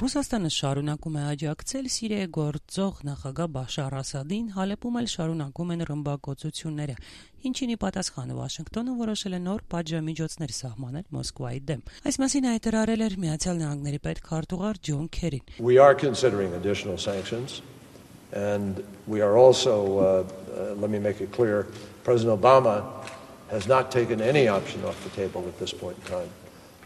Ռուսաստանը շարունակում է աջակցել Սիրիայի գործող նախագահ Բաշար Ասադին, Հալեպում էլ շարունակում են ռմբակոծությունները, ինչին ի պատասխան Վաշինգտոնը որոշել է նոր պատժամիջոցներ սահմանել Մոսկվայի դեմ։ Այս մասին հայտարարել էր Միացյալ Նահանգների պետքարտուղար Ջոն Քերին։ We are considering additional sanctions and we are also let me make it clear, President Obama has not taken any option off the table at this point in time.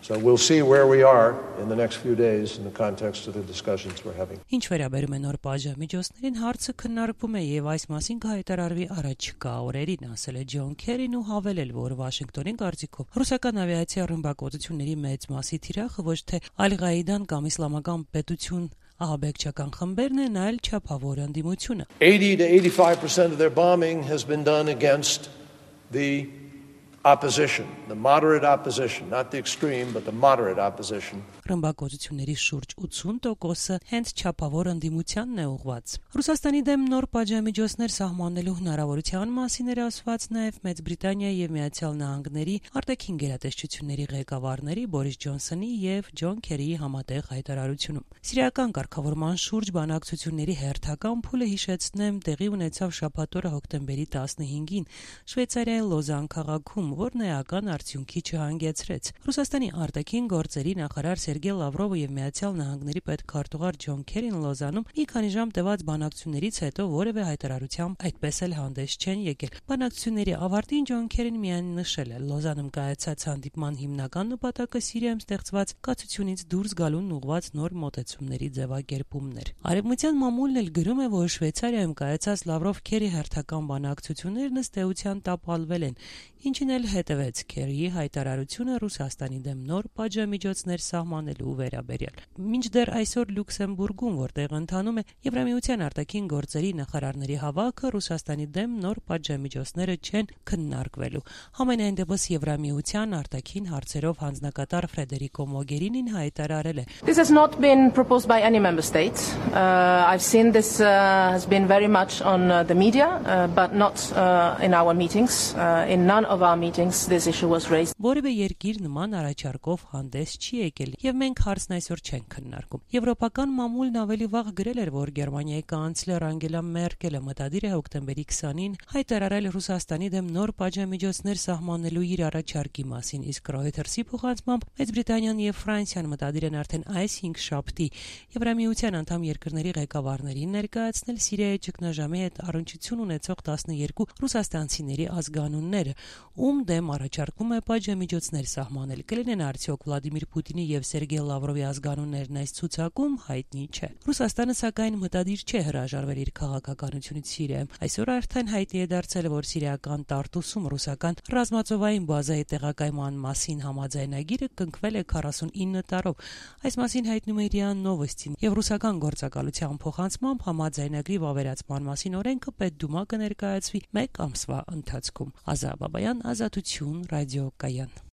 So we'll see where we are in the next few days in the context of the discussions we're having. Ինչ վերաբերում է նոր պատժամիջոցներին, հարցը քննարկվում է եւ այս մասին կհայտարարվի առաջիկա օրերին, ասել է Ջոն Քերին ու հավելել, որ Վաշինգտոնի կարծիքով ռուսական ավիացիա ռմբակոծությունների մեծ մասի թիրախը ոչ թե Ալ-Ղաիդան կամ իսլամական պետություն ահաբեկչական խմբերն են, այլ չափավոր ընդդիմությունը։ 80 to 85% of their bombing has been done against the opposition, the moderate opposition, not the extreme, but the moderate opposition. Ռմբակոծությունների շուրջ 80%-ը հենց չափավոր ընդդիմությանն է ուղղված։ Ռուսաստանի դեմ նոր պատժամիջոցներ սահմանելու հնարավորության մասին էր ասված նաև Մեծ Բրիտանիայի եւ Միացյալ Նահանգների արտաքին գերատեսչությունների ղեկավարների Բորիս Ջոնսոնի եւ Ջոն Քերիի համատեղ հայտարարությունում։ Սիրիական կարգավորման շուրջ բանակցությունների հերթական փուլը, հիշեցնեմ, տեղի ունեցավ շաբաթ օրը հոկտեմբերի 15-ին Շվեյցարիայի Լոզան քաղաքում, որն էական արդյունքի չհանգեցրեց։ Ռուսաստանի արտաքին գործերի նախարար Սերգեյ Լավրովը եւ Միացյալ Նահանգների պետքարտուղար Ջոն Քերին Լոզանում մի քանի ժամ տևած բանակցություններից հետո որևէ հայտարարությամբ այդպես էլ հանդես չեն եկել։ Բանակցությունների ավարտին Ջոն Քերին միայն նշել է. Լոզանում կայացած հանդիպման հիմնական նպատակը Սիրիայում ստեղծված կացությունից դուրս գալուն ուղղված նոր մոտեցումների ձևակերպումն էր։ Արևմտյան մամուլն էլ գրում է, որ Շվեյցարիայում կայացած Լավրով-Քերի հերթական բանակցություններն ըստ էության տապալվել են, ինչին էլ հետևեց Քերիի հայտարարությունը Ռուսաստանի դեմ նոր պատժամիջոցներ սահմանելու վերաբերյալ։ Մինչդեռ այսօր Լյուքսեմբուրգում, որտեղ ընթանում է Եվրամիության արտաքին գործերի նախարարների հավաքը, Ռուսաստանի դեմ նոր պատժամիջոցները չեն քննարկվելու։ Համենայն դեպս Եվրամիության արտաքին հարցերով հանձնակատար Ֆրեդերիկո Մոգերինին հայտարարել է. This has not been proposed by any member state. I've seen this has been very much on the media, but not in our meetings. In none of our meetings this issue was raised. Որևէ երկիր նման առաջարկով հանդես չի եկել, եւ մենք հարցն այսօր չենք քննարկում։ Եվրոպական մամուլն ավելի վաղ գրել էր, որ Գերմանիայի կանցլեր Անգելա Մերկելը մտադիր է հոկտեմբերի 20-ին հայտարարել Ռուսաստանի դեմ նոր պատժամիջոցներ սահմանելու իր առաջարկի մասին, իսկ Reuters-ի փոխանցմամբ Մեծ Բրիտանիան եւ Ֆրանսիան մտադիր են արդեն այս 5 շաբթի Եվրամիության անդամ երկրների ղեկավարներին ներկայացնել Սիրիայի ճգնաժամի հետ առնչություն ունեցող 12 ռուսաստանցիների ազգանունները, ում դեմ առաջարկում է պատժամիջոցներ սահմանել։ Կլինեն արդյոք Վլադիմիր Պուտինի եւ Սերգեյ Լավրովի ազգանուններն այս ցուցակում, հայտնի չէ։ Ռուսաստանը սակայն մտադիր չէ հրաժարվել իր քաղաքականությունից Սիրիայում։ Այսօր արդեն հայտնի է դարձել, որ սիրիական Տարտուսում ռուսական ռազմածովային բազայի տեղակայման մասին համաձայնագիրը կնքվել է 49 տարով։ Այս մասին հայտնում է ՌԻԱ Նովոստին, եւ ռուսական գործակալության փոխանցմամբ համաձայնագրի վավերացման մասին օրենքը Պետդումա կներկայացվի 1 ամսվա ընթացքում։ Ազա Բաբայան, Ազատություն, ռադիոկայան։